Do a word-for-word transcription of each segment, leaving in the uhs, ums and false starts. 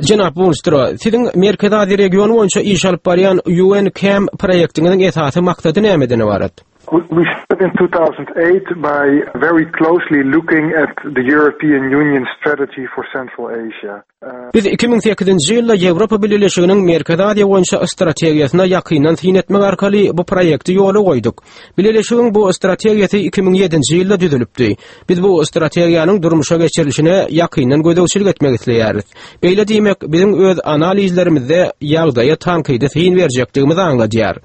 Jenap Bonstra, siziň Merkezi Aziýa regiony boýunça iş alyp barýan U N CAM proýektiňiziň esasy maksady nämeden ybarat? We we started in two thousand eight by very closely looking at the European Union strategy for Central Asia. Uh, Biz iki müň sekizinji ýylda Ýewropa Bileleşiginiň Merkezi Aziýa boýunça strategiýasyna ýakyndan syn etmek arkaly bu proýekti ýola goýduk. Bileleşigiň bu strategiýasy iki müň ýedinji ýylda düzülipdi. Biz bu strategiýanyň durmuşa geçirilişine ýakyndan gözegçilik etmek isleýäris. Beýle diýmek, biziň öz analizlerimizde ýagdaýa tankydy syn berjekdigimizi aňladýar.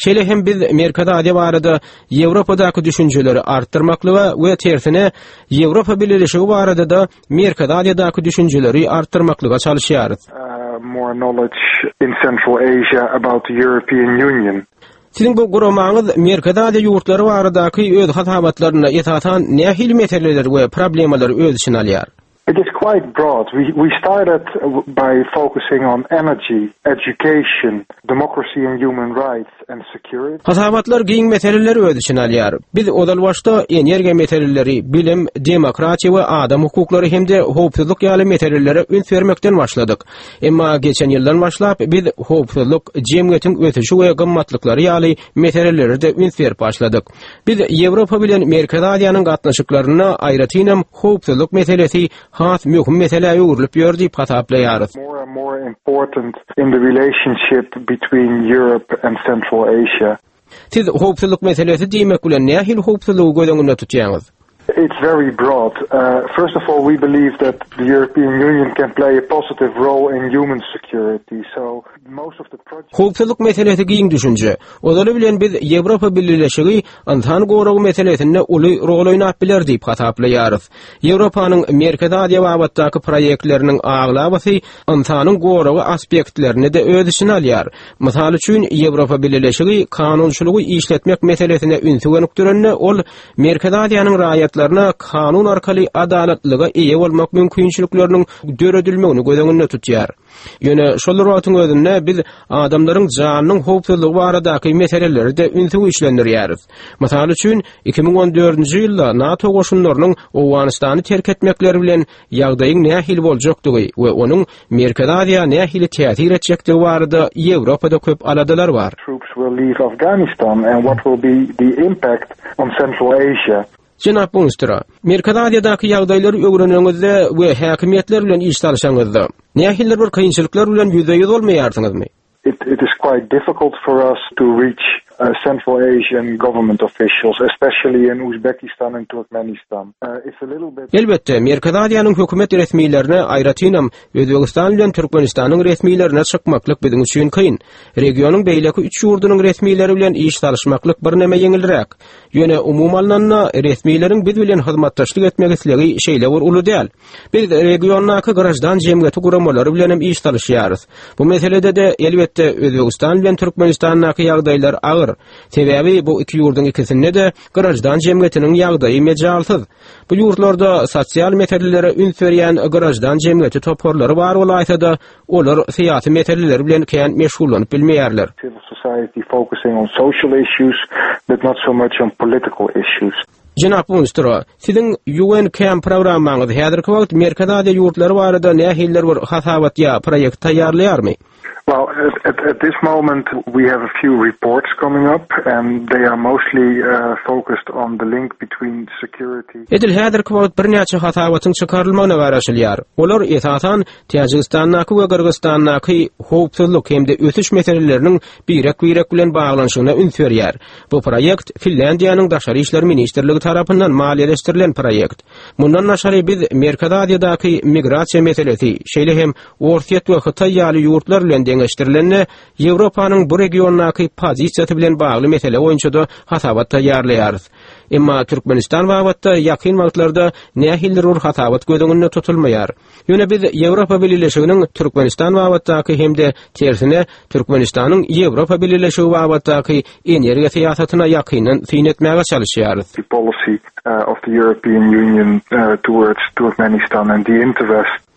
Şeýle hem biz Merkezi Aziýa barada Ýewropadaky düşünjeleri artdyrmaklyga we tersine Ýewropa Bileleşigi barada da Merkezi Aziýadaky düşünjeleri artdyrmaklyga çalyşýarys. uh, more knowledge in Central Asia about the European Union. Siziň bu guramaňyz Merkezi Aziýa ýurtlary baradaky öz hasabatlarynda esasan nähili meseleleri we problemalary öz içine alýar? It is quite broad. We, we started uh, by focusing on energy, education, democracy and human rights, and security. Hasabatlar giň meseleleri öz içine alýar. Biz ozal başda energiýa meseleleri, bilim, demokratiýa we adam hukuklary hem-de howpsuzlyk ýaly meselelere üns bermekden başladyk. Emma geçen ýyldan başlap biz howpsuzlyk, jemgyýetiň ösüşi we gymmatlyklary ýaly meselelere de üns berip başladyk. Biz Ýewropa bilen Merkezi Aziýanyň gatnaşyklarynda aýratynam howpsuzlyk meselesi has möhüm meselä öwrülip ýör diýip hasaplaýarys. More and more important in the relationship between Europe and Central Asia. Siz howpsuzlyk meselesi diýmek bilen nähili howpsuzlygy göz öňünde tutýaňyz? It's very broad. Uh, first of all, we believe that the European Union can play a positive role in human security. So most of the projects. Howpsuzlyk meselesi giň düşünje. Ozaly bilen biz Ýewropa Bileleşigi ynsan goragy meselesinde uly rol oýnap biler diýip hasaplaýarys. Ýewropanyň Merkezi Aziýa babatdaky proýektleriniň aglabasy ynsanyň goragy aspektlerini de öz içine alýar. Mysal üçin, Ýewropa Bileleşigi kanunçylygy işletmek meselesine ünsi gönükdirende, ol Merkezi Aziýanyň raýatlaryna kanun arkaly adalatlyga eýe bolmak mümkinçilikleriniň döredilmegini göz öňünde tutýar. Ýöne şol wagtyň özünde biz adamlaryň janynyň howpsuzlygy baradaky meseleleri de ünsi güýçlendirýäris. Mysal üçin, iki müň on dördünji ýylda NATO goşunlarynyň Owganystany terk etmekleri bilen ýagdaýyň nähili boljakdygy we onuň Merkezi Aziýa nähili täsir etjekdigi barada Ýewropada köp aladalar bar. Troops will leave Afghanistan and what will be the impact on Central Asia. Jenap Bonstra, Merkezi Aziýadaky ýagdaýlary öwreneniňizde we häkimiýetler bilen iş salyşanyňyzda nähili bir kynçylyklar bilen ýüzbe-ýüz bolmaýarsyňyzmy? It, it is quite difficult for us to reach uh, Central Asian government officials, especially in Uzbekistan and Turkmenistan. Uh, it's a little bit Elbetde, Merkezi Aziýanyň hökümet resmilerine, aýratynam Özbegistan bilen Türkmenistanyň resmilerine çykmaklyk biziň üçin kyn. Regionyň beýleki üç ýurdunyň resmileri bilen iş salyşmaklyk birneme ýeňilräk. Ýöne umuman alnanda resmileriň biz bilen hyzmatdaşlyk etmek islegi şeýle bir uly däl. Biz regiondaky graždan jemgyýeti guramalary bilen hem iş salyşýarys. Bu meselede de elbetde Özbegistan bilen Türkmenistandaky ýagdaýlar agyr. Sebäbi bu iki ýurduň ikisinde de graždan jemgyýetiniň ýagdaýy mejalsyz. Bu ýurtlarda sosial meselelere üns berýän graždan jemgyýeti toparlary bar bolaýsa da, olar syýasy meseleler bilen kän meşgullanyp bilmeýärler. Civil society focusing on social issues, but not so much on political issues. Jenap Bonstra, siziň U N CAM programmaňyz häzirki wagt Merkezi Aziýa ýurtlary barada nähilidir bir hasabat ýa proýekt taýýarlaýarmy? Well, at, at, at this moment, we have a few reports coming up, and they are mostly uh, focused on the link between security. Edil häzirki wagt birnäçe hasabatyň çykarylmagyna garaşylýar. Olar esasan Täjigistandaky we Gyrgyzystandaky howpsuzlyk hem-de ösüş meseleleriniň birek-birek bilen baglanyşygyna üns berýär. Bu proýekt Finlýandiýanyň Daşary işler ministrligi tarapyndan maliýeleşdirilen proýekt. Mundan daşary biz Merkezi Aziýadaky migrasiýa meselesi, şeýle hem Orsýet we Hytaý ýaly ýurtlar bilen deňeşdirilende Ýewropanyň bu regiondaky pozisiýasy bilen bagly mesele boýunça da hasabat taýýarlaýarys. Emma Türkmenistan babatda ýakyn wagtlarda nähilidir bir hasabat göz öňünde tutulmaýar. Ýöne biz Ýewropa Bileleşiginiň Türkmenistan babatdaky hem-de tersine Türkmenistanyň Ýewropa Bileleşigi babatdaky energiýa syýasatyna ýakyndan syn etmäge çalyşýarys. The policy uh, of the European Union uh, towards Turkmenistan and the interest